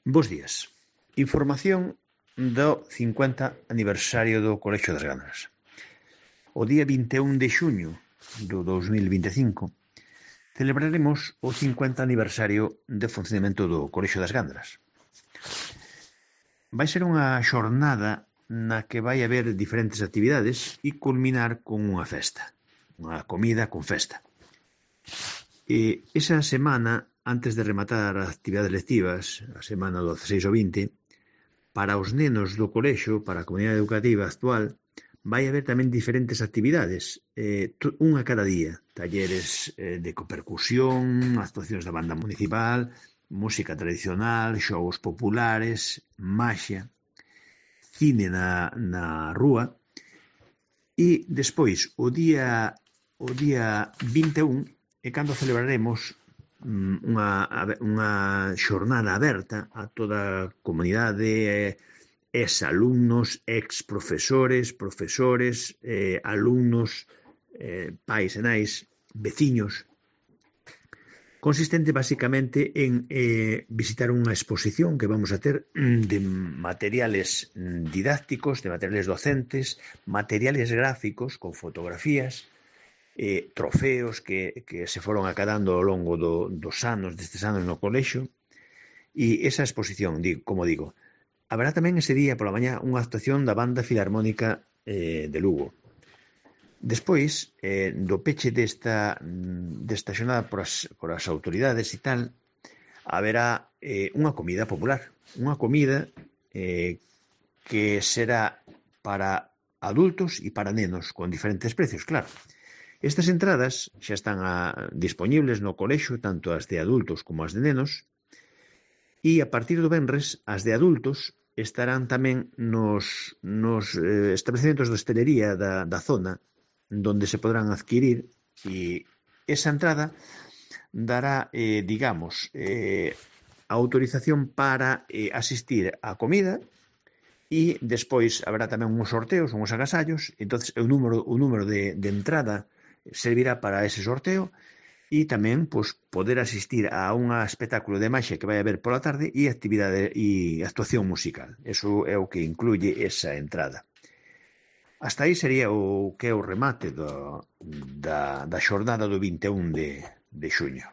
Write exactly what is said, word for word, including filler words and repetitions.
Bos días. Información do cincuenta aniversario do Colexio das Gandras. O día vinte e un de xuño do dous mil vinte e cinco celebraremos o cincuenta aniversario de funcionamento do Colexio das Gandras. Vai ser unha xornada na que vai haber diferentes actividades e culminar con unha festa, unha comida con festa. E esa semana, antes de rematar as actividades lectivas, a semana do dezasseis ao vinte, para os nenos do colexio, para a comunidade educativa actual, vai haber tamén diferentes actividades, eh, unha cada día, talleres eh, de copercusión, actuacións da banda municipal, música tradicional, xogos populares, maxia, cine na, na rúa, e despois, o día, o día vinte e un, é cando celebraremos unha, unha xornada aberta a toda a comunidade, ex-alumnos, ex-profesores, profesores, eh, alumnos, eh, pais e nais, veciños, consistente basicamente en eh, visitar unha exposición que vamos a ter de materiales didácticos, de materiales docentes, materiales gráficos con fotografías, eh, trofeos que, que se foron acadando ao longo do, dos anos, destes anos no colexio, e esa exposición, digo, como digo, haberá tamén ese día pola mañá unha actuación da Banda Filarmónica eh, de Lugo. Despois, eh, do peche desta, desta xornada por as, por as autoridades e tal, haberá eh, unha comida popular, unha comida eh, que será para adultos e para nenos, con diferentes precios, claro. Estas entradas xa están a, disponibles no colexio, tanto as de adultos como as de nenos, e a partir do venres, as de adultos estarán tamén nos, nos eh, establecementos de hostelería da, da zona, donde se podrán adquirir, e esa entrada dará, eh, digamos, eh, a autorización para eh, asistir á comida, e despois haberá tamén uns sorteos, uns agasallos, entonces o número, o número de, de entrada servirá para ese sorteo e tamén pois, poder asistir a un espectáculo de maxia que vai haber pola tarde e actividade e actuación musical. Eso é o que incluye esa entrada. Hasta aí sería o que é o remate do, da, da xornada do vinte e un de, de xuño.